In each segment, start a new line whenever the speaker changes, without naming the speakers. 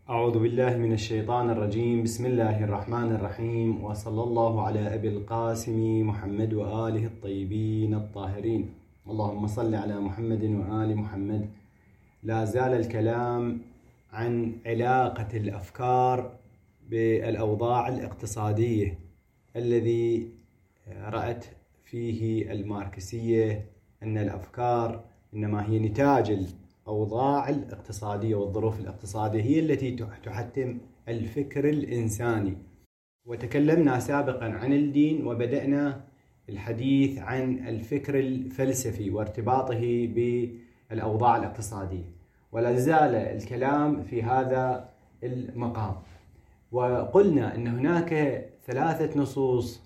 أعوذ بالله من الشيطان الرجيم. بسم الله الرحمن الرحيم، وصلى الله على أبي القاسم محمد وآله الطيبين الطاهرين. اللهم صل على محمد وآل محمد. لا زال الكلام عن علاقة الأفكار بالأوضاع الاقتصادية الذي رأت فيه الماركسية أن الأفكار إنما هي نتاج الأوضاع الاقتصادية والظروف الاقتصادية هي التي تحتم الفكر الإنساني. وتكلمنا سابقا عن الدين، وبدأنا الحديث عن الفكر الفلسفي وارتباطه بالأوضاع الاقتصادية، ولا زال الكلام في هذا المقام. وقلنا أن هناك ثلاثة نصوص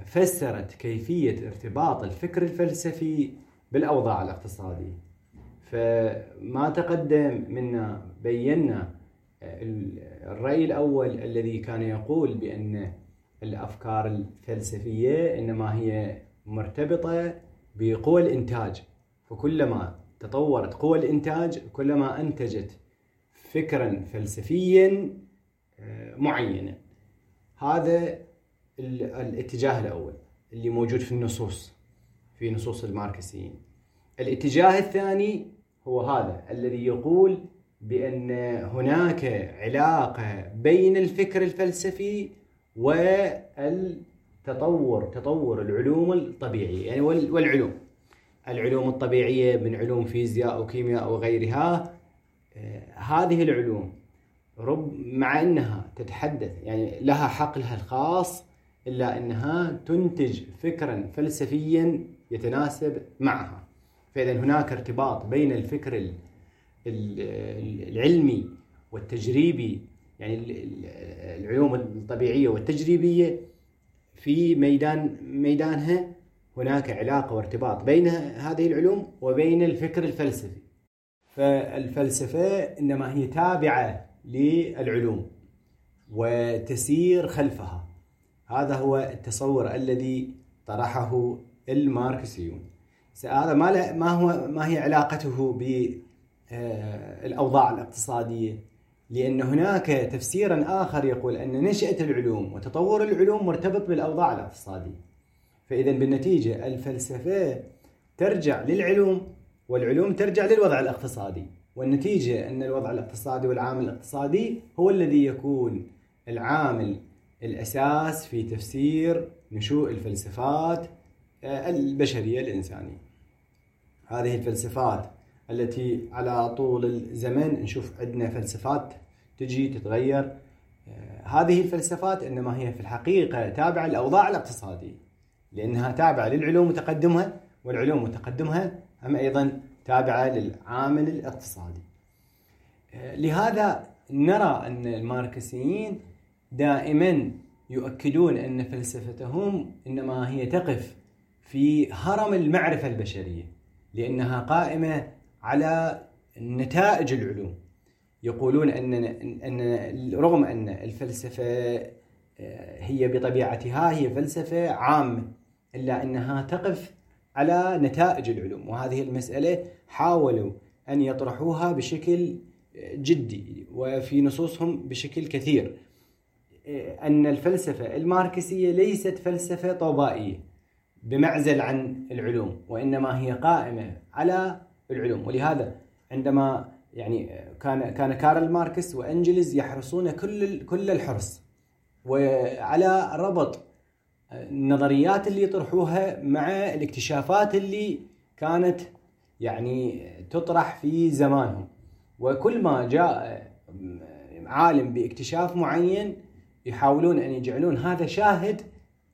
فسرت كيفية ارتباط الفكر الفلسفي بالأوضاع الاقتصادية. فما تقدم منا بينا الرأي الأول الذي كان يقول بأن الأفكار الفلسفية إنما هي مرتبطة بقوى الإنتاج، فكلما تطورت قوى الإنتاج كلما أنتجت فكرا فلسفيا معينا. هذا الاتجاه الأول اللي موجود في النصوص، في نصوص الماركسيين. الاتجاه الثاني هو هذا الذي يقول بأن هناك علاقة بين الفكر الفلسفي والتطور، تطور العلوم الطبيعية، يعني والعلوم، العلوم الطبيعية من علوم فيزياء وكيمياء وغيرها. هذه العلوم مع أنها تتحدث يعني لها حقلها الخاص، إلا أنها تنتج فكرا فلسفيا يتناسب معها. فإذا هناك ارتباط بين الفكر العلمي والتجريبي، يعني العلوم الطبيعية والتجريبية في ميدانها هناك علاقة وارتباط بين هذه العلوم وبين الفكر الفلسفي. فالفلسفة إنما هي تابعة للعلوم وتسير خلفها. هذا هو التصور الذي طرحه الماركسيون. هذا ما هي علاقته بالأوضاع الاقتصادية؟ لأن هناك تفسيرا آخر يقول أن نشأة العلوم وتطور العلوم مرتبط بالأوضاع الاقتصادية. فإذا بالنتيجة الفلسفة ترجع للعلوم والعلوم ترجع للوضع الاقتصادي، والنتيجة أن الوضع الاقتصادي والعامل الاقتصادي هو الذي يكون العامل الأساس في تفسير نشوء الفلسفات البشرية الإنسانية. هذه الفلسفات التي على طول الزمن نشوف عندنا فلسفات تجي تتغير، هذه الفلسفات إنما هي في الحقيقة تابعة للأوضاع الاقتصادية، لأنها تابعة للعلوم وتقدمها، والعلوم وتقدمها هم أيضا تابعة للعامل الاقتصادي. لهذا نرى أن الماركسيين دائما يؤكدون أن فلسفتهم إنما هي تقف في هرم المعرفة البشرية، لأنها قائمة على نتائج العلوم. يقولون أن رغم أن الفلسفة هي بطبيعتها هي فلسفة عامة، إلا أنها تقف على نتائج العلوم، وهذه المسألة حاولوا أن يطرحوها بشكل جدي وفي نصوصهم بشكل كثير، أن الفلسفة الماركسية ليست فلسفة طوبائية بمعزل عن العلوم، وإنما هي قائمة على العلوم. ولهذا عندما يعني كان كارل ماركس وأنجلز يحرصون كل الحرص وعلى ربط النظريات اللي يطرحوها مع الاكتشافات اللي كانت يعني تطرح في زمانهم. وكل ما جاء عالم باكتشاف معين يحاولون أن يجعلون هذا شاهد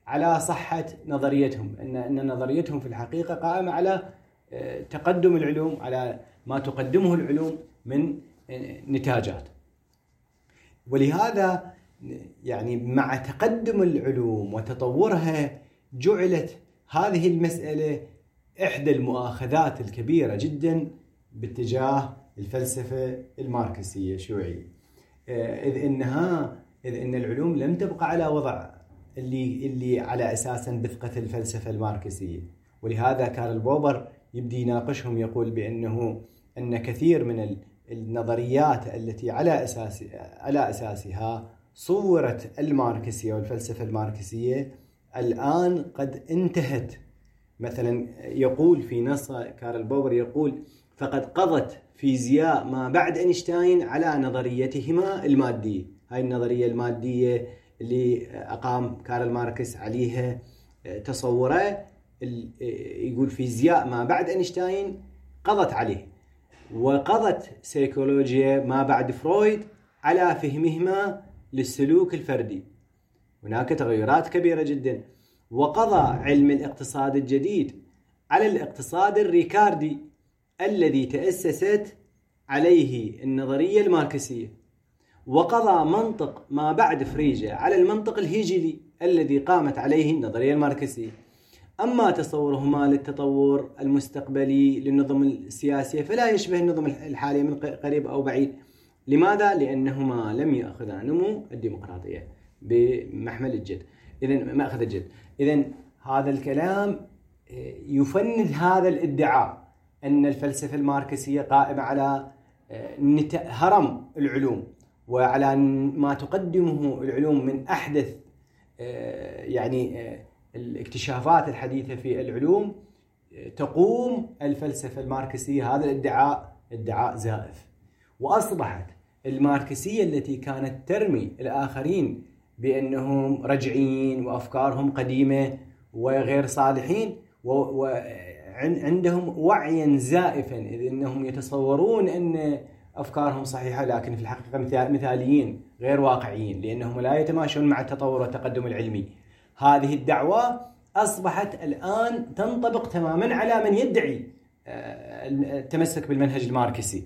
على صحة نظريتهم، أن نظريتهم في الحقيقة قائمة على تقدم العلوم، على ما تقدمه العلوم من نتاجات. ولهذا يعني مع تقدم العلوم وتطورها جعلت هذه المسألة إحدى المؤاخذات الكبيرة جدا باتجاه الفلسفة الماركسية الشيوعية، إذ إن العلوم لم تبقى على وضع اللي على أساسا بثقة الفلسفة الماركسية. ولهذا كارل بوبر يبدي يناقشهم، يقول بأنه أن كثير من النظريات التي على أساسها صورت الماركسية والفلسفة الماركسية الآن قد انتهت. مثلا يقول في نص كارل بوبر، يقول: فقد قضت فيزياء ما بعد أينشتاين على نظريتهما المادية. هاي النظرية المادية اللي أقام كارل ماركس عليها تصوره، يقول فيزياء ما بعد أينشتاين قضت عليه، وقضت سيكولوجيا ما بعد فرويد على فهمهما للسلوك الفردي. هناك تغيرات كبيرة جدا. وقضى علم الاقتصاد الجديد على الاقتصاد الريكاردي الذي تأسست عليه النظرية الماركسية، وقضى منطق ما بعد فريجة على المنطق الهيجلي الذي قامت عليه النظرية الماركسية. أما تصورهما للتطور المستقبلي للنظم السياسية فلا يشبه النظم الحالية من قريب أو بعيد. لماذا؟ لأنهما لم يأخذا نمو الديمقراطية بمحمل الجد. إذن مأخذ الجد. إذن هذا الكلام يفند هذا الادعاء أن الفلسفة الماركسية قائمة على هرم العلوم وعلى ما تقدمه العلوم من أحدث يعني الاكتشافات الحديثة في العلوم. تقوم الفلسفة الماركسية هذا الادعاء ادعاء زائف. وأصبحت الماركسية التي كانت ترمي الآخرين بأنهم رجعيين وأفكارهم قديمة وغير صالحين وعندهم وعيا زائفا، إذ أنهم يتصورون أن أفكارهم صحيحة، لكن في الحقيقة مثاليين غير واقعيين، لأنهم لا يتماشون مع التطور والتقدم العلمي. هذه الدعوة أصبحت الآن تنطبق تماما على من يدعي التمسك بالمنهج الماركسي،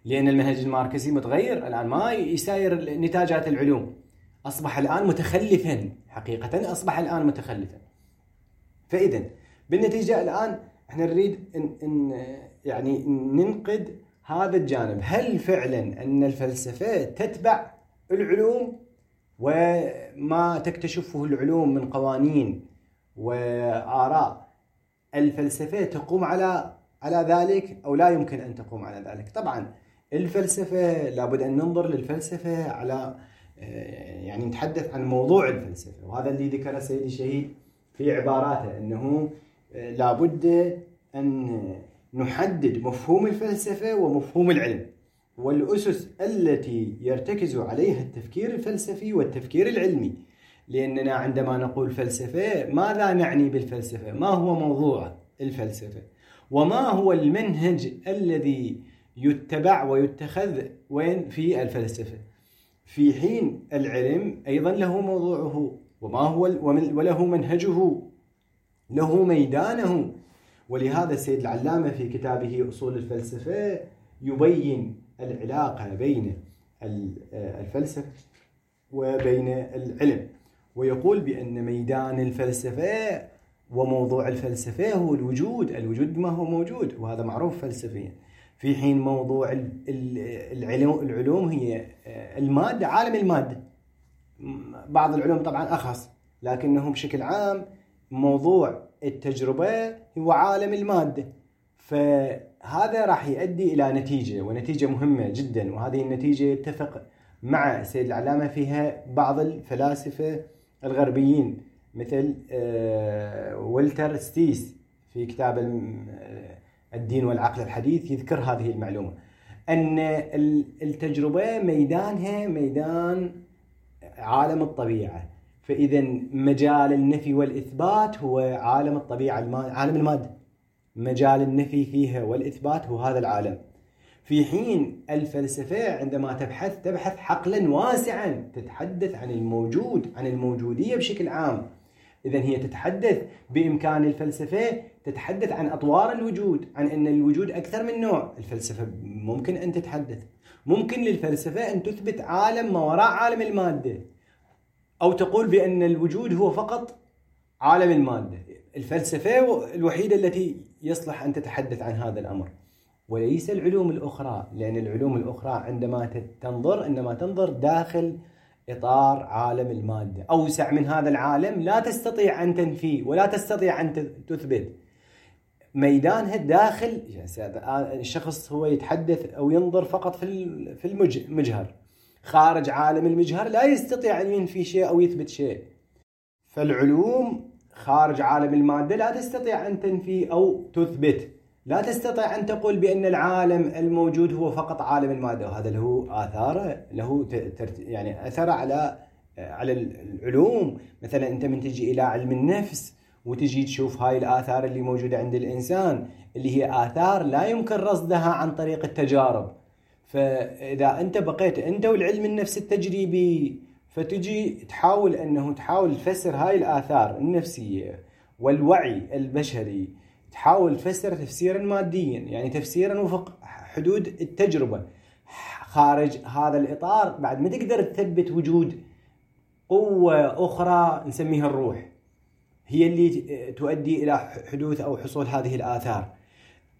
لأن المنهج الماركسي متغير الآن، ما يساير نتاجات العلوم، أصبح الآن متخلفا، حقيقة أصبح الآن متخلفا. فإذا بالنتيجة الآن احنا نريد إن يعني ننقد هذا الجانب. هل فعلا أن الفلسفة تتبع العلوم وما تكتشفه العلوم من قوانين وآراء الفلسفة تقوم على ذلك أو لا يمكن أن تقوم على ذلك؟ طبعا الفلسفة لابد أن ننظر للفلسفة على يعني نتحدث عن موضوع الفلسفة، وهذا اللي ذكره سيدي الشهيد في عباراته، أنه لابد أن نحدد مفهوم الفلسفة ومفهوم العلم والأسس التي يرتكز عليها التفكير الفلسفي والتفكير العلمي. لأننا عندما نقول فلسفة ماذا نعني بالفلسفة؟ ما هو موضوع الفلسفة؟ وما هو المنهج الذي يتبع ويتخذ وين في الفلسفة؟ في حين العلم أيضا له موضوعه وما هو وله منهجه، له ميدانه. ولهذا السيد العلامة في كتابه أصول الفلسفة يبين العلاقة بين الفلسفة وبين العلم، ويقول بأن ميدان الفلسفة وموضوع الفلسفة هو الوجود، الوجود ما هو موجود، وهذا معروف فلسفيا. في حين موضوع العلوم هي المادة، عالم المادة. بعض العلوم طبعا أخص، لكنه بشكل عام موضوع التجربة هو عالم المادة. فهذا راح يؤدي إلى نتيجة، ونتيجة مهمة جدا، وهذه النتيجة يتفق مع السيد العلامة فيها بعض الفلاسفة الغربيين مثل والتر ستيس في كتاب الدين والعقل الحديث يذكر هذه المعلومة، أن التجربة ميدانها ميدان عالم الطبيعة. فإذا مجال النفي والإثبات هو عالم الطبيعة، عالم المادة، مجال النفي فيها والإثبات هو هذا العالم. في حين الفلسفة عندما تبحث تبحث حقلا واسعا، تتحدث عن الموجود، عن الموجودية بشكل عام. إذن هي تتحدث، بإمكان الفلسفة تتحدث عن أطوار الوجود، عن أن الوجود أكثر من نوع. الفلسفة ممكن أن تتحدث، ممكن للفلسفة أن تثبت عالم ما وراء عالم المادة، أو تقول بأن الوجود هو فقط عالم المادة. الفلسفة الوحيدة التي يصلح أن تتحدث عن هذا الأمر، وليس العلوم الأخرى، لأن العلوم الأخرى عندما تنظر إنما تنظر داخل إطار عالم المادة، أوسع من هذا العالم لا تستطيع أن تنفيه ولا تستطيع أن تثبت. ميدانها داخل. يعني الشخص هو يتحدث أو ينظر فقط في المجهر، خارج عالم المجهر لا يستطيع أن ينفي شيء أو يثبت شيء. فالعلوم خارج عالم المادة لا تستطيع أن تنفي أو تثبت، لا تستطيع أن تقول بأن العالم الموجود هو فقط عالم المادة، وهذا له آثاره، له يعني أثر على العلوم. مثلا أنت من تجي إلى علم النفس وتجي تشوف هاي الآثار اللي موجودة عند الإنسان، اللي هي آثار لا يمكن رصدها عن طريق التجارب. فإذا أنت بقيت أنت والعلم النفس التجريبي، فتجي تحاول أنه تحاول تفسر هاي الآثار النفسية والوعي البشري، تحاول تفسر تفسيرا ماديا، يعني تفسيرا وفق حدود التجربة. خارج هذا الإطار بعد ما تقدر تثبت وجود قوة أخرى نسميها الروح، هي اللي تؤدي إلى حدوث أو حصول هذه الآثار.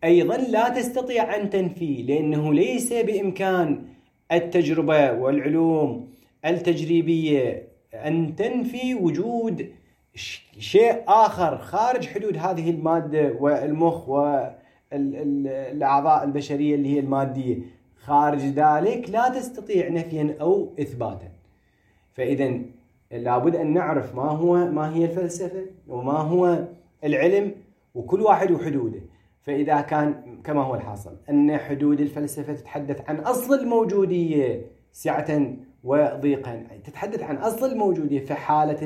أيضا لا تستطيع أن تنفي، لأنه ليس بإمكان التجربة والعلوم التجريبية أن تنفي وجود شيء آخر خارج حدود هذه المادة والمخ والأعضاء البشرية اللي هي المادية. خارج ذلك لا تستطيع نفيا أو إثباتا. فإذا لابد أن نعرف ما هي الفلسفة وما هو العلم، وكل واحد وحدوده. فإذا كان كما هو الحاصل أن حدود الفلسفة تتحدث عن أصل الموجودية سعة وضيقا، تتحدث عن أصل الموجودية، فحالة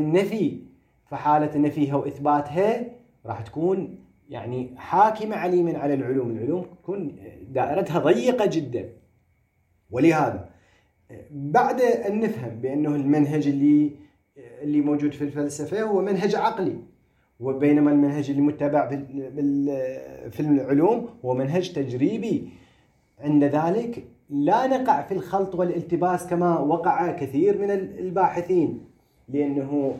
النفي وإثباتها راح تكون يعني حاكمة عليما على العلوم. العلوم تكون دائرتها ضيقة جدا. ولهذا بعد أن نفهم بأنه المنهج اللي موجود في الفلسفة هو منهج عقلي، وبينما المنهج اللي متبع في العلوم هو منهج تجريبي، عند ذلك لا نقع في الخلط والالتباس كما وقع كثير من الباحثين، لأنه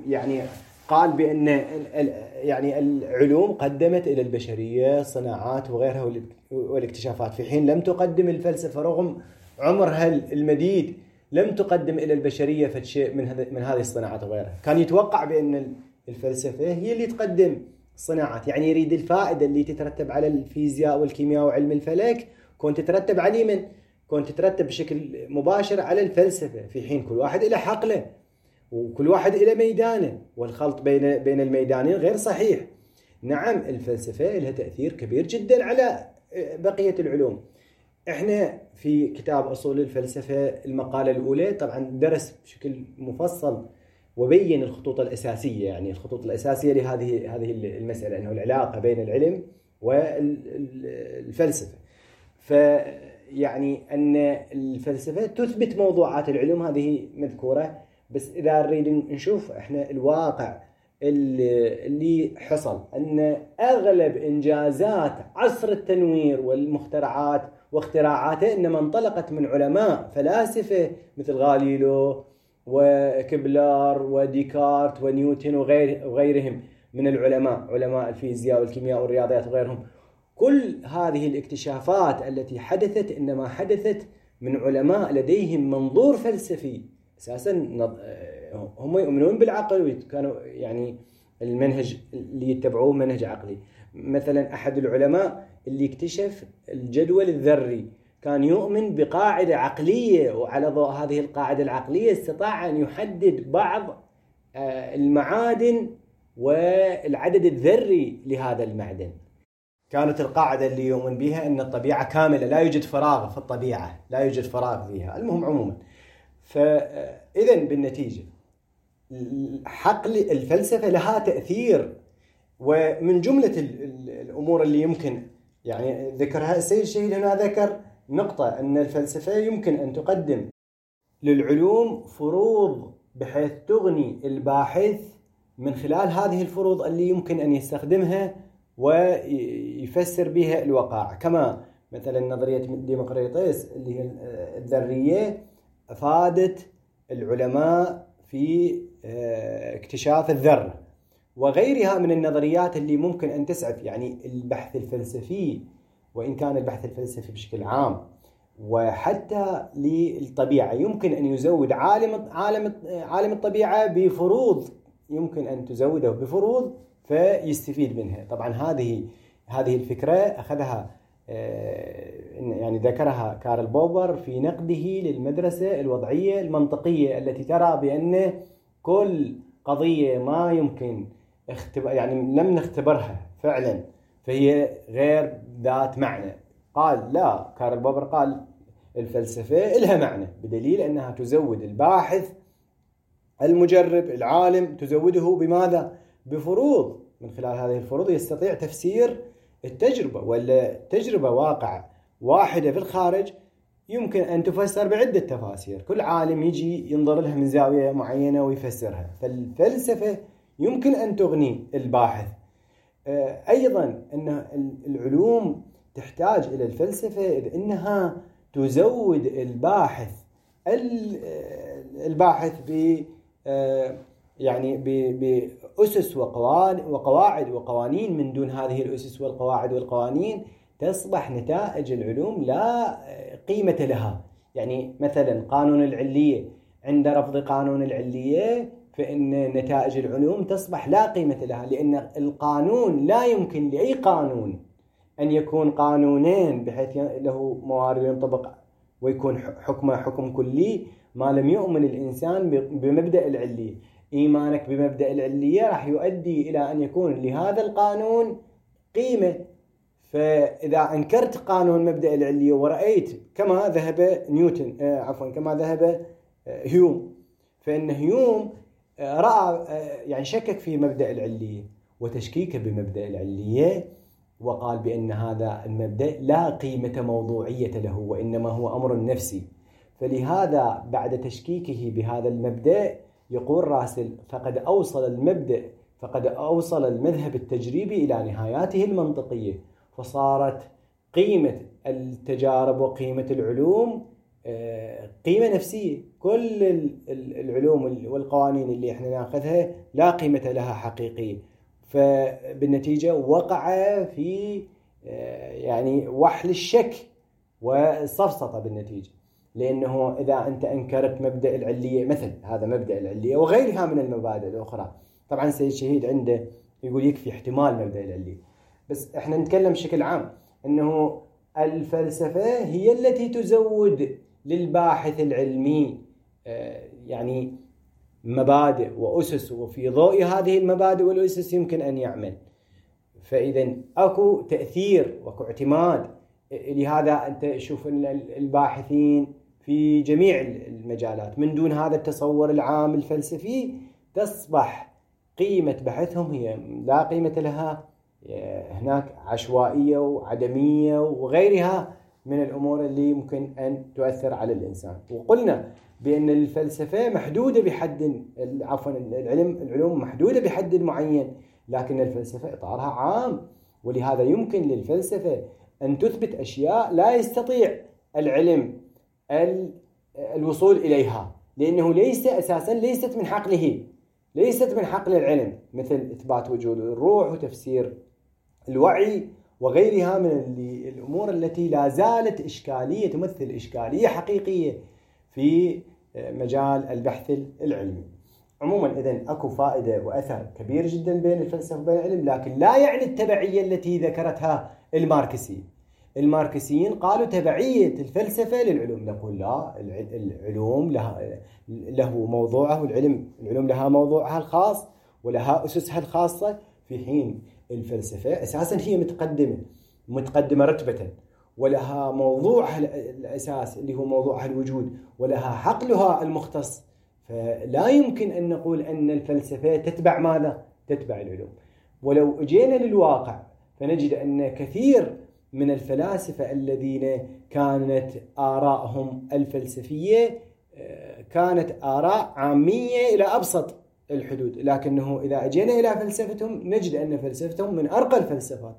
يعني قال بأن يعني العلوم قدمت إلى البشرية صناعات وغيرها والاكتشافات، في حين لم تقدم الفلسفة رغم عمرها المديد لم تقدم إلى البشرية شيء من هذه الصناعات وغيرها. كان يتوقع بأن الفلسفة هي اللي تقدم صناعات، يعني يريد الفائدة اللي تترتب على الفيزياء والكيمياء وعلم الفلك كنت تترتب على من؟ كنت تترتب بشكل مباشر على الفلسفة، في حين كل واحد إلى حقله وكل واحد إلى ميدانه، والخلط بين الميدانين غير صحيح. نعم الفلسفة لها تأثير كبير جدا على بقية العلوم. احنا في كتاب أصول الفلسفة المقالة الأولى طبعا درس بشكل مفصل وبين الخطوط الأساسية، يعني الخطوط الأساسية لهذه المسألة، أنه العلاقة بين العلم والفلسفة. فيعني أن الفلسفة تثبت موضوعات العلوم، هذه مذكورة، بس إذا نريد نشوف إحنا الواقع اللي حصل، أن أغلب إنجازات عصر التنوير والمخترعات واختراعاته إنما انطلقت من علماء فلاسفة مثل غاليلو وكبلر وديكارت ونيوتن وغيرهم من العلماء، علماء الفيزياء والكيمياء والرياضيات وغيرهم. كل هذه الاكتشافات التي حدثت إنما حدثت من علماء لديهم منظور فلسفي أساساً، هم يؤمنون بالعقل، وكانوا يعني المنهج اللي يتبعوه منهج عقلي. مثلا أحد العلماء اللي اكتشف الجدول الذري كان يؤمن بقاعدة عقلية، وعلى ضوء هذه القاعدة العقلية استطاع أن يحدد بعض المعادن والعدد الذري لهذا المعدن. كانت القاعدة اللي يؤمن بها أن الطبيعة كاملة، لا يوجد فراغ في الطبيعة، لا يوجد فراغ فيها. المهم عموما، فإذن بالنتيجة حقل الفلسفة لها تأثير. ومن جملة الأمور اللي يمكن يعني ذكرها السيد الشهيد هنا، ذكر نقطة أن الفلسفة يمكن أن تقدم للعلوم فروض بحيث تغني الباحث من خلال هذه الفروض اللي يمكن أن يستخدمها ويفسر بها الوقائع، كما مثلا نظرية ديمقريطس اللي هي الذرية أفادت العلماء في اكتشاف الذرة، وغيرها من النظريات اللي ممكن أن تسعف يعني البحث الفلسفي، وإن كان البحث الفلسفي بشكل عام وحتى للطبيعة يمكن أن يزود عالم الطبيعة بفروض، يمكن أن تزوده بفروض فيستفيد منها. طبعا هذه الفكرة أخذها يعني ذكرها كارل بوبر في نقده للمدرسة الوضعية المنطقية التي ترى بأن كل قضية ما يمكن يعني لم نختبرها فعلا فهي غير ذات معنى. قال لا، كارل بوبر قال الفلسفة لها معنى بدليل أنها تزود الباحث المجرب العالم، تزوده بماذا؟ بفروض، من خلال هذه الفروض يستطيع تفسير التجربة، ولا تجربة واقع واحدة في الخارج يمكن أن تفسر بعدة تفاسير، كل عالم يجي ينظر لها من زاوية معينة ويفسرها. فالفلسفة يمكن أن تغني الباحث. أيضا أن العلوم تحتاج إلى الفلسفة إذ أنها تزود الباحث ب يعني بأسس وقواعد وقوانين. من دون هذه الأسس والقواعد والقوانين تصبح نتائج العلوم لا قيمة لها. يعني مثلا قانون العلية، عند رفض قانون العلية فإن نتائج العلوم تصبح لا قيمة لها، لأن القانون لا يمكن لأي قانون أن يكون قانونين بحيث له موارد ينطبق ويكون حكمه حكم كلي ما لم يؤمن الإنسان بمبدأ العلية. إيمانك بمبدأ العلية راح يؤدي إلى أن يكون لهذا القانون قيمة. فإذا أنكرت قانون مبدأ العلية ورأيت كما ذهب نيوتن كما ذهب هيوم، فإن هيوم رأى يعني شكك في مبدأ العلية وتشكيك بمبدأ العلية، وقال بأن هذا المبدأ لا قيمة موضوعية له وإنما هو أمر نفسي. فلهذا بعد تشكيكه بهذا المبدأ يقول راسل فقد أوصل المذهب التجريبي إلى نهاياته المنطقية، فصارت قيمة التجارب وقيمة العلوم قيمة نفسية. كل العلوم والقوانين اللي احنا ناخذها لا قيمة لها حقيقية. فبالنتيجة وقع في يعني وحل الشك والسفسطة بالنتيجة، لأنه إذا أنت أنكرت مبدأ العلية مثل هذا مبدأ العلية وغيرها من المبادئ الأخرى. طبعا سيد شهيد عنده يقول يكفي احتمال مبدأ العلية، بس احنا نتكلم بشكل عام أنه الفلسفة هي التي تزود للباحث العلمي يعني مبادئ وأسس، وفي ضوء هذه المبادئ والأسس يمكن أن يعمل. فإذا أكو تأثير وأكو اعتماد. لهذا أنت شوف الباحثين في جميع المجالات من دون هذا التصور العام الفلسفي تصبح قيمة بحثهم هي لا قيمة لها، هناك عشوائية وعدمية وغيرها من الأمور اللي يمكن أن تؤثر على الإنسان. وقلنا بأن الفلسفة محدودة بحد، عفوا العلوم محدودة بحد معين، لكن الفلسفة إطارها عام، ولهذا يمكن للفلسفة أن تثبت أشياء لا يستطيع العلم الوصول إليها، لأنه ليس أساسا ليست من حقله، ليست من حقل العلم، مثل إثبات وجود الروح وتفسير الوعي وغيرها من الأمور التي لا زالت إشكالية، تمثل إشكالية حقيقية في مجال البحث العلمي. عموما إذن أكو فائدة وأثر كبير جدا بين الفلسفة وبين العلم، لكن لا يعني التبعية التي ذكرتها الماركسيين. الماركسيين قالوا تبعية الفلسفة للعلوم، نقول لا، العلوم له موضوعه، العلوم لها موضوعها الخاص ولها أسسها الخاصة، في حين الفلسفة أساسا هي متقدمة رتبة، ولها موضوعها الأساس اللي هو موضوعها الوجود، ولها حقلها المختص. فلا يمكن أن نقول أن الفلسفة تتبع ماذا؟ تتبع العلوم. ولو أجينا للواقع فنجد أن كثير من الفلاسفة الذين كانت آرائهم الفلسفية كانت آراء عامية إلى أبسط الحدود، لكنه إذا أجينا إلى فلسفتهم نجد أن فلسفتهم من أرقى الفلسفات.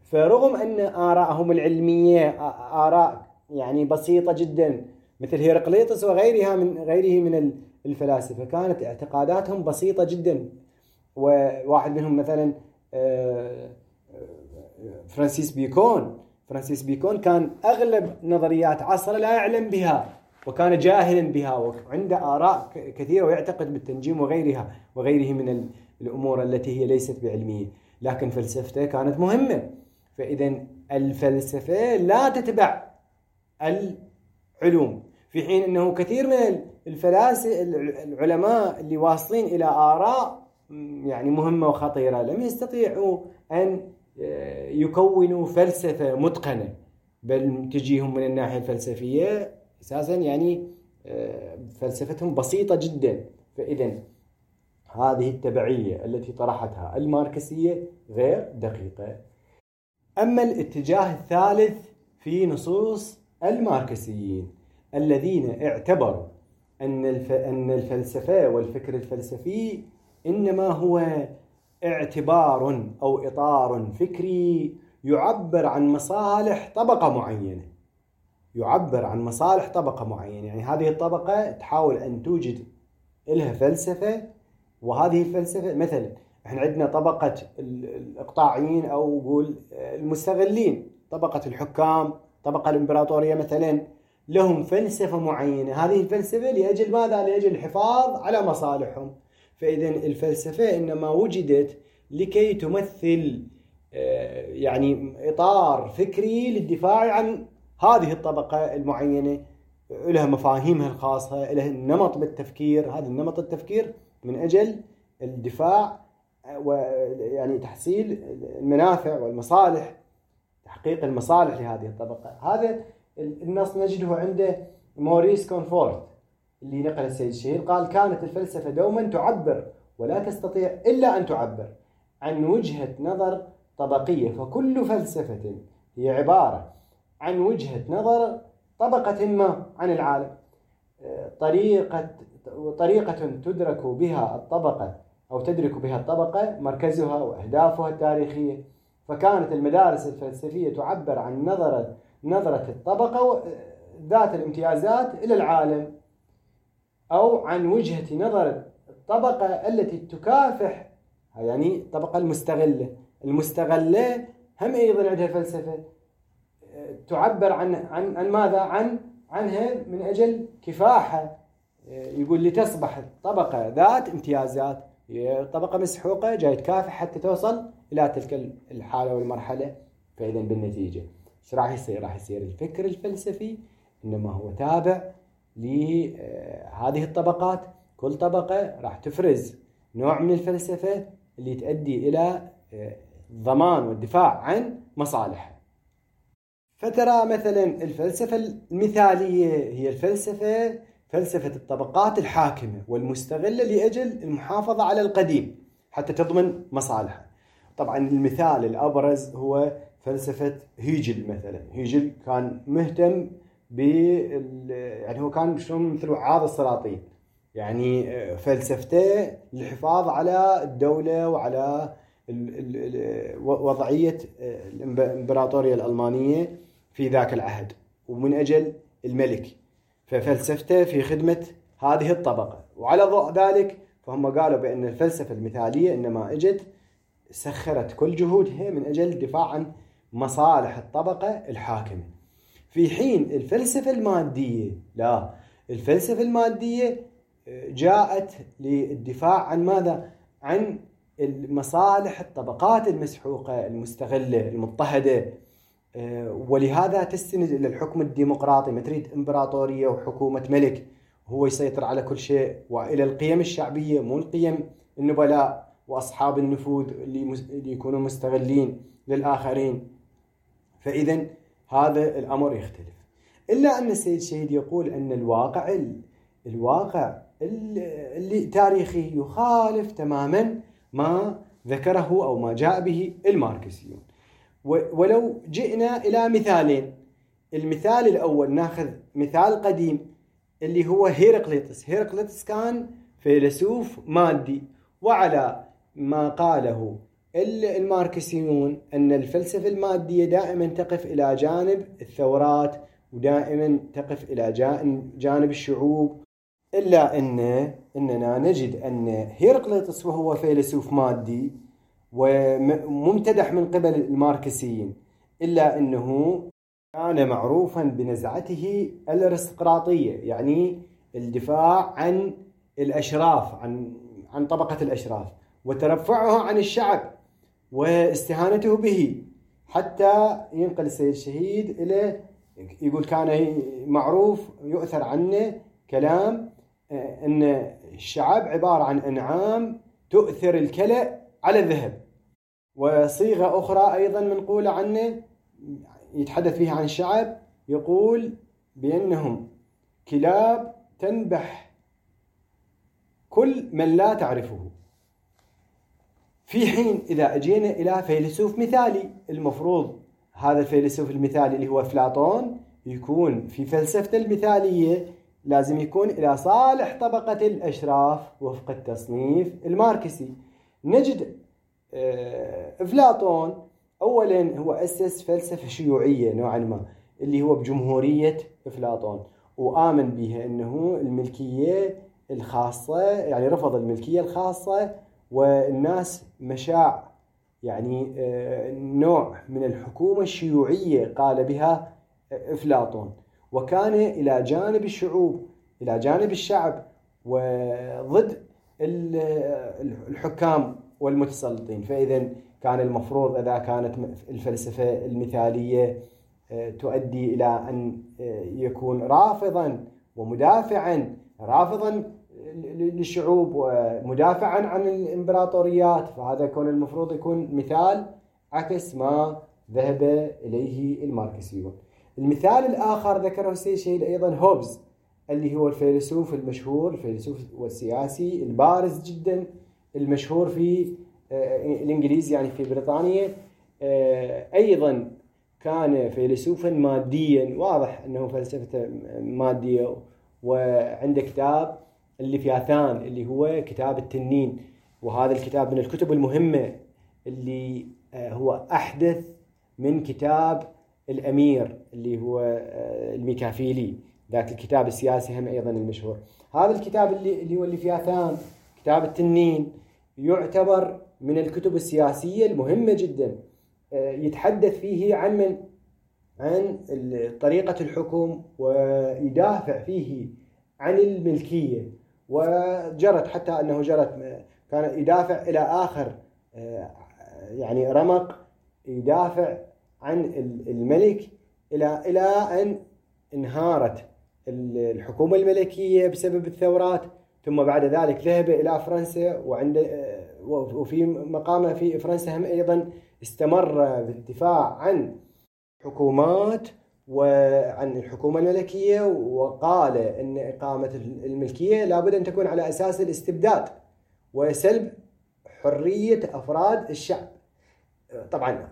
فرغم أن آرائهم العلمية آراء يعني بسيطة جدا مثل هيرقليطس وغيرها من غيره من الفلاسفة، كانت اعتقاداتهم بسيطة جدا. وواحد منهم مثلا فرانسيس بيكون كان أغلب نظريات عصره لا يعلم بها وكان جاهلا بها، وعنده آراء كثيرة ويعتقد بالتنجيم وغيرها وغيره من الأمور التي هي ليست بعلمية، لكن فلسفته كانت مهمة. فإذا الفلسفة لا تتبع العلوم، في حين أنه كثير من الفلاسفة العلماء اللي واصلين إلى آراء يعني مهمة وخطيرة لم يستطيعوا أن يكونوا فلسفة متقنة، بل تجيهم من الناحية الفلسفية أساسا يعني فلسفتهم بسيطة جدا. فإذا هذه التبعية التي طرحتها الماركسية غير دقيقة. أما الاتجاه الثالث في نصوص الماركسيين الذين اعتبروا أن الفلسفة والفكر الفلسفي إنما هو اعتبار أو إطار فكري يعبر عن مصالح طبقة معينة، يعبر عن مصالح طبقة معينة، يعني هذه الطبقة تحاول أن توجد لها فلسفة، وهذه الفلسفة مثلا احنا عندنا طبقة الإقطاعيين أو قول المستغلين، طبقة الحكام، طبقة الإمبراطورية مثلا، لهم فلسفة معينة، هذه الفلسفة لأجل ماذا؟ لأجل الحفاظ على مصالحهم. فإذا الفلسفة إنما وجدت لكي تمثل يعني إطار فكري للدفاع عن هذه الطبقة المعينة، لها مفاهيمها الخاصة، لها النمط بالتفكير، هذا النمط التفكير من أجل الدفاع ويعني تحصيل المنافع والمصالح، تحقيق المصالح لهذه الطبقة. هذا النص نجده عند موريس كونفورت اللي نقل السيد الشهيد، قال: كانت الفلسفة دوما تعبر ولا تستطيع إلا أن تعبر عن وجهة نظر طبقية، فكل فلسفة هي عبارة عن وجهة نظر طبقة ما عن العالم، طريقة تدرك بها الطبقة أو تدرك بها الطبقة مركزها وأهدافها التاريخية. فكانت المدارس الفلسفية تعبر عن نظرة الطبقة ذات الامتيازات إلى العالم، أو عن وجهة نظر الطبقة التي تكافح، يعني الطبقة المستغلة. المستغلة هم أيضا عندها فلسفة تعبر عن عن عن ماذا؟ عنها من أجل كفاحة. يقول لتصبح الطبقة ذات امتيازات، طبقة مسحوقة جاي تكافح حتى توصل إلى تلك الحالة والمرحلة. فإذا بالنتيجة ايش راح يصير؟ راح يصير الفكر الفلسفي إنما هو تابع لهذه الطبقات، كل طبقة راح تفرز نوع من الفلسفة اللي تؤدي إلى الضمان والدفاع عن مصالحها. فترى مثلا الفلسفة المثالية هي الفلسفة فلسفة الطبقات الحاكمة والمستغلة لأجل المحافظة على القديم حتى تضمن مصالحها. طبعا المثال الأبرز هو فلسفة هيجل مثلا. هيجل كان مهتم يعني هو كان شلون مثل وعاظ السلاطين، يعني فلسفته للحفاظ على الدولة وعلى وضعية الإمبراطورية الألمانية في ذاك العهد ومن أجل الملك، ففلسفته في خدمة هذه الطبقة. وعلى ضوء ذلك فهم قالوا بأن الفلسفة المثالية إنما أجت سخرت كل جهودها من أجل الدفاع عن مصالح الطبقة الحاكمة، في حين الفلسفة المادية لا، الفلسفة المادية جاءت للدفاع عن ماذا؟ عن المصالح الطبقات المسحوقة المستغلة المضطهدة، ولهذا تستند إلى الحكم الديمقراطي، ما تريد إمبراطورية وحكومة ملك هو يسيطر على كل شيء، وإلى القيم الشعبية مو القيم النبلاء وأصحاب النفوذ اللي يكونوا مستغلين للآخرين. فإذا هذا الأمر يختلف. إلا أن السيد الشهيد يقول أن الواقع اللي تاريخي يخالف تماما ما ذكره أو ما جاء به الماركسيون. ولو جئنا إلى مثالين، المثال الأول ناخذ مثال قديم اللي هو هيرقليطس. هيرقليطس كان فيلسوف مادي، وعلى ما قاله الماركسيون أن الفلسفة المادية دائما تقف إلى جانب الثورات ودائما تقف إلى جانب الشعوب، إلا أننا نجد أن هيرقليطس وهو فيلسوف مادي وممتدح من قبل الماركسيين، إلا أنه كان معروفا بنزعته الأرستقراطية، يعني الدفاع عن الأشراف، عن طبقة الأشراف، وترفعه عن الشعب واستهانته به، حتى ينقل السيد الشهيد إلى يقول كان معروف يؤثر عنه كلام أن الشعب عبارة عن أنعام تؤثر الكلأ على الذهب. وصيغة أخرى أيضا منقولة عنه يتحدث فيها عن الشعب، يقول بأنهم كلاب تنبح كل من لا تعرفه. في حين إذا أجينا إلى فيلسوف مثالي، المفروض هذا الفيلسوف المثالي اللي هو أفلاطون يكون في فلسفته المثالية لازم يكون إلى صالح طبقة الأشراف وفق التصنيف الماركسي. نجد أفلاطون أولا هو أسس فلسفة شيوعية نوعا ما اللي هو بجمهورية أفلاطون، وآمن بها أنه الملكية الخاصة، يعني رفض الملكية الخاصة، والناس مشاع، يعني نوع من الحكومة الشيوعية قال بها أفلاطون، وكان إلى جانب الشعوب، إلى جانب الشعب، وضد الحكام والمتسلطين. فإذا كان المفروض إذا كانت الفلسفة المثالية تؤدي إلى أن يكون رافضا ومدافعا، رافضا للشعوب ومدافعا عن الإمبراطوريات، فهذا يكون المفروض يكون مثال عكس ما ذهب إليه الماركسيون. المثال الآخر ذكره السيد شهيد أيضا هوبز، اللي هو الفيلسوف المشهور، الفيلسوف والسياسي البارز جدا المشهور في الإنجليز، يعني في بريطانيا. أيضا كان فيلسوفا ماديا، واضح أنه فلسفته مادية، وعنده كتاب الليفياثان اللي هو كتاب التنين، وهذا الكتاب من الكتب المهمة اللي هو أحدث من كتاب الأمير اللي هو الميكافيلي، ذاك الكتاب السياسي هم أيضا المشهور. هذا الكتاب اللي هو الليفياثان، كتاب التنين، يعتبر من الكتب السياسية المهمة جدا، يتحدث فيه عن عن طريقة الحكم، ويدافع فيه عن الملكية، وجرت حتى أنه جرت كان يدافع إلى آخر يعني رمق، يدافع عن الملك إلى أن انهارت الحكومة الملكية بسبب الثورات، ثم بعد ذلك ذهب إلى فرنسا، وفي مقامه في فرنسا هم أيضا استمر بالدفاع عن حكومات وعن الحكومة الملكية، وقال أن إقامة الملكية لابد أن تكون على أساس الاستبداد وسلب حرية أفراد الشعب. طبعا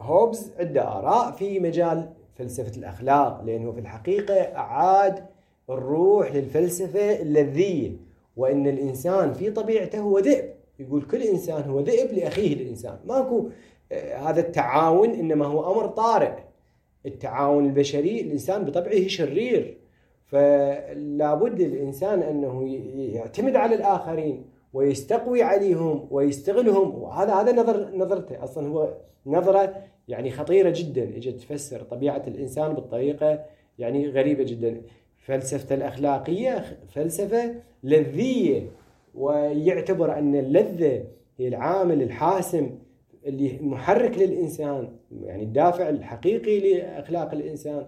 هوبز عنده آراء في مجال فلسفة الأخلاق، لأنه في الحقيقة أعاد الروح للفلسفة اللذية، وأن الإنسان في طبيعته هو ذئب. يقول كل إنسان هو ذئب لأخيه الإنسان، ماكو هذا التعاون، إنما هو أمر طارئ. التعاون البشري، الإنسان بطبعه شرير، فلا بد الإنسان أنه يعتمد على الآخرين ويستقوي عليهم ويستغلهم. وهذا هذا نظرته أصلا هو نظرة يعني خطيرة جدا، اجت تفسر طبيعة الإنسان بالطريقة يعني غريبة جدا. فلسفة الأخلاقية فلسفة لذية، ويعتبر أن اللذة هي العامل الحاسم اللي محرك للإنسان، يعني الدافع الحقيقي لأخلاق الإنسان.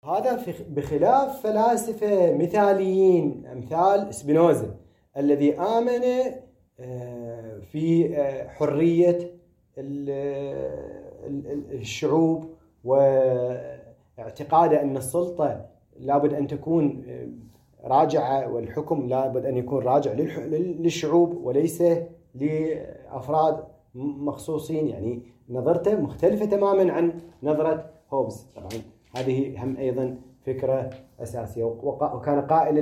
هذا بخلاف فلاسفة مثاليين أمثال سبينوزا الذي آمن في حرية الشعوب، واعتقاده أن السلطة لابد أن تكون راجعة، والحكم لابد أن يكون راجع للشعوب وليس لأفراد مخصوصين. يعني نظرته مختلفة تماما عن نظرة هوبز. طبعا هذه هم أيضا فكرة أساسية. وكان قائلا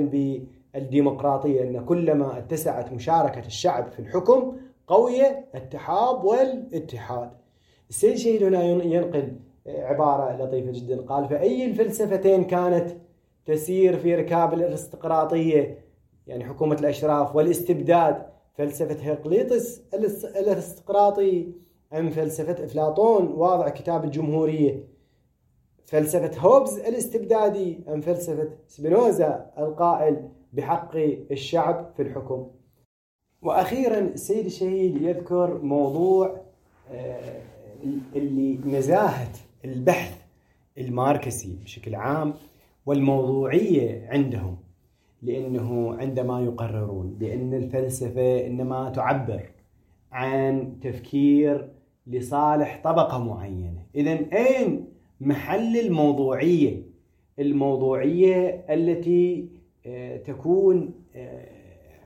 بالديمقراطية، أن كلما اتسعت مشاركة الشعب في الحكم قوية التحاب والاتحاد. السيد شهيد هنا ينقل عبارة لطيفة جدا، قال: فأي الفلسفتين كانت تسير في ركاب الارستقراطية، يعني حكومة الأشراف والاستبداد، فلسفة هرقليطس الارستقراطي أم فلسفة أفلاطون واضع كتاب الجمهورية، فلسفة هوبز الاستبدادي أم فلسفة سبينوزا القائل بحق الشعب في الحكم؟ وأخيرا السيد الشهيد يذكر موضوع اللي نزاهة البحث الماركسي بشكل عام والموضوعية عندهم، لأنه عندما يقررون بأن الفلسفة إنما تعبر عن تفكير لصالح طبقة معينة، إذن أين محل الموضوعية؟ الموضوعية التي تكون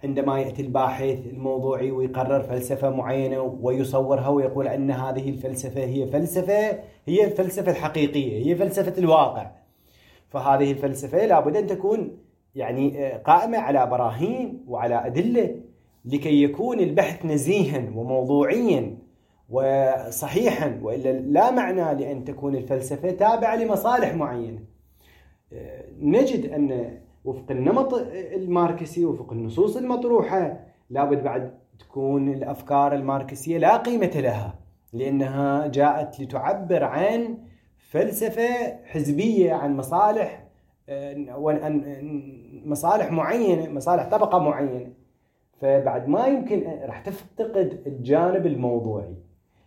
عندما يأتي الباحث الموضوعي ويقرر فلسفة معينة ويصورها ويقول أن هذه الفلسفة هي الفلسفة الحقيقية، هي فلسفة الواقع. فهذه الفلسفة لابد أن تكون يعني قائمة على براهين وعلى أدلة لكي يكون البحث نزيها وموضوعيا وصحيحا، وإلا لا معنى لأن تكون الفلسفة تابعة لمصالح معينة. نجد أن وفق النمط الماركسي وفق النصوص المطروحة لابد بعد تكون الأفكار الماركسية لا قيمة لها، لأنها جاءت لتعبر عن فلسفة حزبية، عن مصالح مصالح معينة، مصالح طبقة معينة. فبعد ما يمكن راح تفتقد الجانب الموضوعي.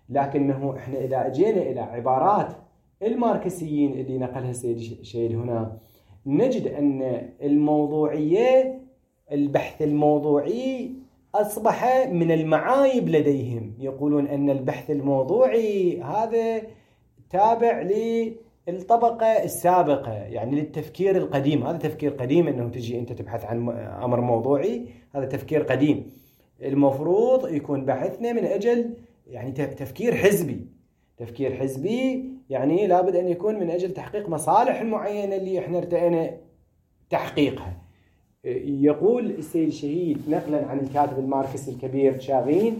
لكنه احنا إذا أجينا إلى عبارات الماركسيين اللي نقلها السيد الشهيد هنا، نجد أن الموضوعية، البحث الموضوعي أصبح من المعايب لديهم. يقولون أن البحث الموضوعي هذا تابع للطبقة السابقة، يعني للتفكير القديم. هذا تفكير قديم، أنه تجي أنت تبحث عن أمر موضوعي، هذا تفكير قديم. المفروض يكون بحثنا من أجل يعني تفكير حزبي، تفكير حزبي يعني لابد أن يكون من أجل تحقيق مصالح معينة اللي إحنا ارتئينا تحقيقها. يقول السيد الشهيد نقلا عن الكاتب الماركسي الكبير شاغين: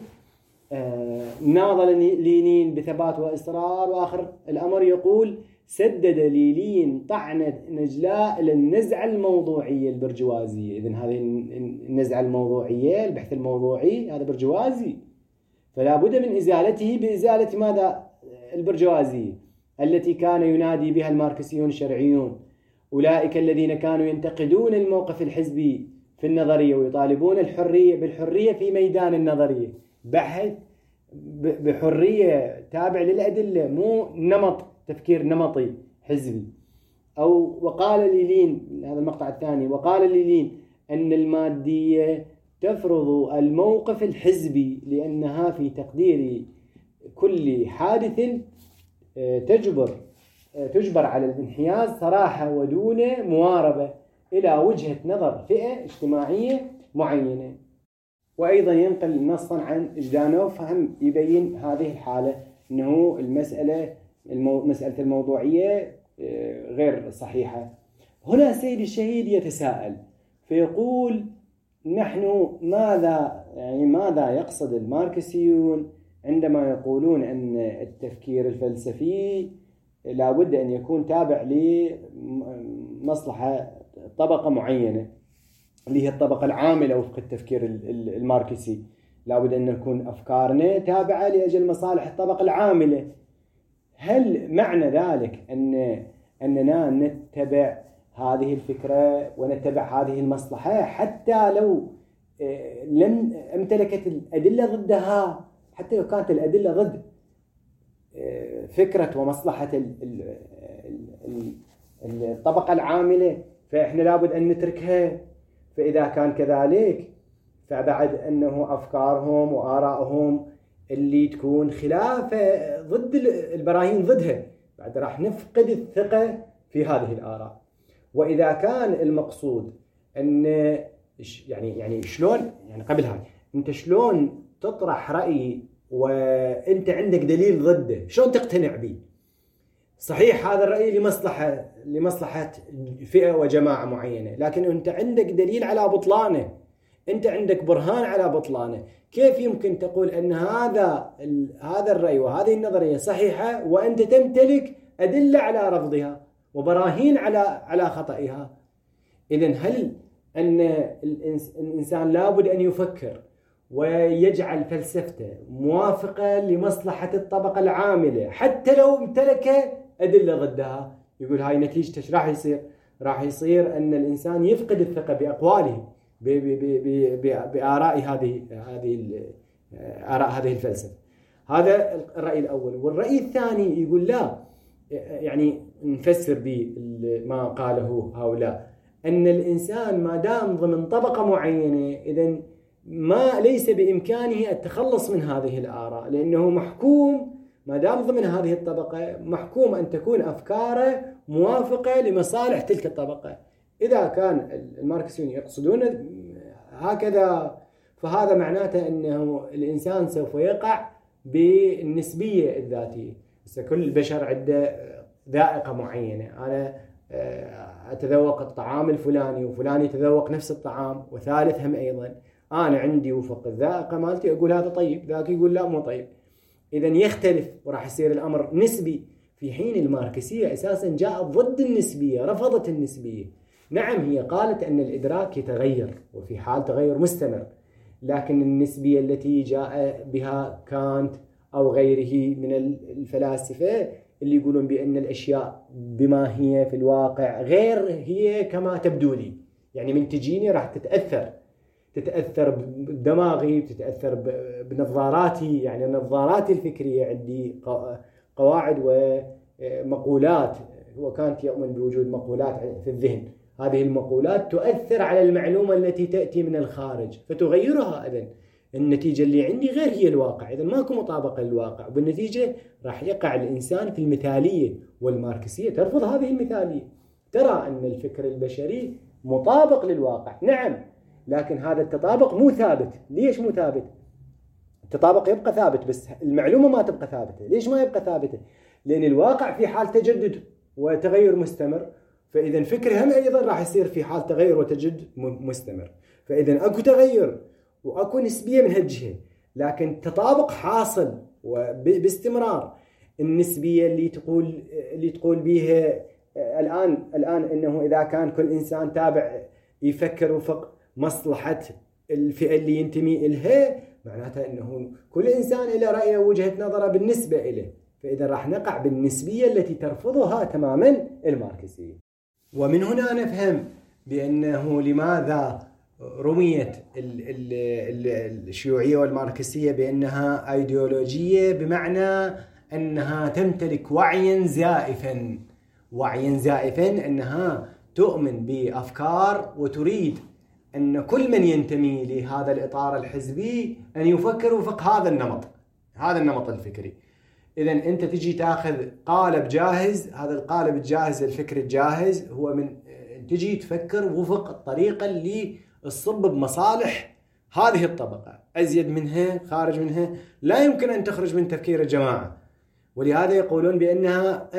ناضل لينين بثبات وإصرار، وآخر الأمر يقول: سدد لينين طعنة نجلاء للنزعة الموضوعية البرجوازية. إذن هذه النزعة الموضوعية، البحث الموضوعي، هذا برجوازي، فلا بد من إزالته بإزالة ماذا؟ البرجوازية التي كان ينادي بها الماركسيون الشرعيون، أولئك الذين كانوا ينتقدون الموقف الحزبي في النظرية ويطالبون الحرية بالحرية في ميدان النظرية، بحث بحرية تابع للأدلة، مو نمط تفكير نمطي حزبي. أو وقال ليلين، هذا المقطع الثاني، وقال ليلين أن المادية تفرض الموقف الحزبي لأنها في تقدير كل حادث تجبر على الانحياز صراحة ودون مواربة إلى وجهة نظر فئة اجتماعية معينة. وأيضا ينقل نصا عن جدانوف هم يبين هذه الحالة، أنه المسألة مسألة الموضوعية غير صحيحة. هنا سيد الشهيد يتساءل فيقول: نحن ماذا يعني ماذا يقصد الماركسيون عندما يقولون أن التفكير الفلسفي لا بد أن يكون تابع لمصلحة طبقة معينة اللي هي الطبقة العاملة وفق التفكير الماركسي، لا بد أن نكون أفكارنا تابعة لأجل مصالح الطبقة العاملة. هل معنى ذلك أننا نتبع هذه الفكرة ونتبع هذه المصلحة حتى لو لم امتلكت الأدلة ضدها، حتى لو كانت الأدلة ضد فكرة ومصلحة الطبقة العاملة، فإحنا لابد أن نتركها؟ فإذا كان كذلك فبعد أنه أفكارهم وآرائهم اللي تكون خلافة ضد البراهين ضدها، بعد راح نفقد الثقة في هذه الآراء. وإذا كان المقصود أن يعني شلون، يعني قبل هاي أنت شلون تطرح رأي وأنت عندك دليل ضده، شلون تقتنع به؟ صحيح هذا الرأي لمصلحة فئة وجماعة معينة، لكن أنت عندك دليل على بطلانه، أنت عندك برهان على بطلانه. كيف يمكن تقول أن هذا الرأي وهذه النظرية صحيحة وأنت تمتلك أدلة على رفضها وبراهين على خطئها؟ إذن هل أن الإنسان لابد أن يفكر ويجعل فلسفته موافقة لمصلحة الطبقة العاملة حتى لو امتلك أدلة ضدها؟ يقول هاي نتيجته ايش راح يصير؟ راح يصير أن الإنسان يفقد الثقة بأقواله، بآراء هذه آراء هذه الفلسفة. هذا الرأي الأول. والرأي الثاني يقول لا، يعني نفسر بما قاله هؤلاء أن الإنسان ما دام ضمن طبقة معينة إذن ما ليس بإمكانه التخلص من هذه الآراء، لأنه محكوم ما دام ضمن هذه الطبقة، محكوم أن تكون أفكاره موافقة لمصالح تلك الطبقة. إذا كان الماركسيون يقصدون هكذا فهذا معناته أنه الإنسان سوف يقع بالنسبية الذاتية. بس كل البشر عنده ذائقة معينة، أنا أتذوق الطعام الفلاني وفلان يتذوق نفس الطعام وثالثهم أيضا، أنا عندي وفق الذائقة مالتي أقول هذا طيب، ذاك يقول لا مو طيب. إذن يختلف وراح يصير الأمر نسبي. في حين الماركسية أساسا جاءت ضد النسبية، رفضت النسبية. نعم هي قالت أن الإدراك يتغير وفي حال تغير مستمر، لكن النسبية التي جاء بها كانت أو غيره من الفلاسفة اللي يقولون بأن الأشياء بما هي في الواقع غير هي كما تبدو لي، يعني من تجيني راح تتأثر بدماغي، تتأثر بنظاراتي، يعني نظاراتي الفكرية عندي قواعد ومقولات، هو كانت يؤمن بوجود مقولات في الذهن، هذه المقولات تؤثر على المعلومة التي تأتي من الخارج فتغيرها. إذن النتيجة اللي عندي غير هي الواقع، إذن ماكو مطابقة للواقع، وبالنتيجة راح يقع الإنسان في المثالية. والماركسية ترفض هذه المثالية، ترى أن الفكر البشري مطابق للواقع، نعم، لكن هذا التطابق مو ثابت. ليش مو ثابت؟ التطابق يبقى ثابت بس المعلومة ما تبقى ثابتة. ليش ما يبقى ثابتة؟ لأن الواقع في حال تجدد وتغير مستمر، فإذا فكرهم أيضا راح يصير في حال تغير وتجدد مستمر. فإذا أكو تغير وأكو نسبية من هالجهة، لكن تطابق حاصل وباستمرار. النسبية اللي تقول بيها الآن إنه إذا كان كل إنسان تابع يفكر وفق مصلحة الفئة اللي ينتمي إلها، معناتها إنه كل إنسان له رأيه ووجهة نظره بالنسبة إليه، فإذا راح نقع بالنسبية التي ترفضها تماما الماركسية. ومن هنا نفهم بأنه لماذا رميت الشيوعية والماركسية بأنها أيديولوجية، بمعنى أنها تمتلك وعيا زائفا، وعيا زائفا أنها تؤمن بأفكار وتريد أن كل من ينتمي لهذا الإطار الحزبي أن يفكر وفق هذا النمط، هذا النمط الفكري. إذن أنت تجي تاخذ قالب جاهز، هذا القالب الجاهز الفكر الجاهز هو من تجي تفكر وفق الطريقة اللي تصب بمصالح هذه الطبقة، أزيد منها خارج منها لا يمكن أن تخرج من تفكير الجماعة. ولهذا يقولون بأنها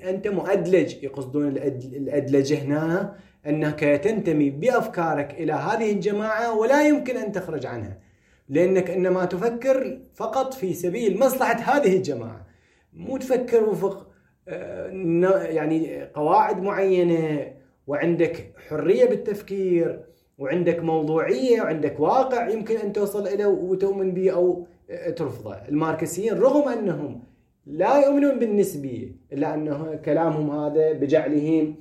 أنت مؤدلج، يقصدون الأدلجة هنا أنك تنتمي بأفكارك إلى هذه الجماعة ولا يمكن أن تخرج عنها، لأنك إنما تفكر فقط في سبيل مصلحة هذه الجماعة، مو تفكر وفق يعني قواعد معينة، وعندك حرية بالتفكير وعندك موضوعية وعندك واقع يمكن أن توصل إليه وتؤمن به أو ترفضه. الماركسيين رغم أنهم لا يؤمنون بالنسبية، إلا أنه كلامهم هذا بجعلهم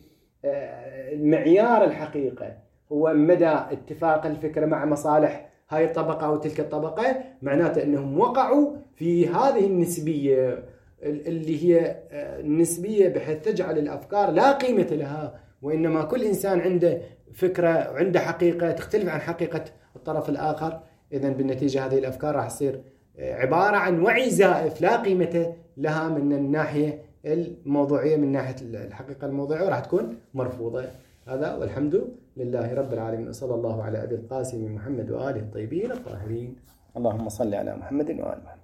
معيار الحقيقة هو مدى اتفاق الفكرة مع مصالح هاي الطبقة أو تلك الطبقة، معناته أنهم وقعوا في هذه النسبية اللي هي النسبية بحيث تجعل الأفكار لا قيمة لها، وإنما كل إنسان عنده فكرة وعنده حقيقة تختلف عن حقيقة الطرف الآخر. إذن بالنتيجة هذه الأفكار راح تصير عبارة عن وعي زائف لا قيمة لها من الناحية الموضوعية، من ناحية الحقيقة الموضوعية، وراح تكون مرفوضة. هذا والحمد لله رب العالمين، صلى الله على أبي القاسم محمد وآله الطيبين الطاهرين. اللهم صل على محمد وآل محمد.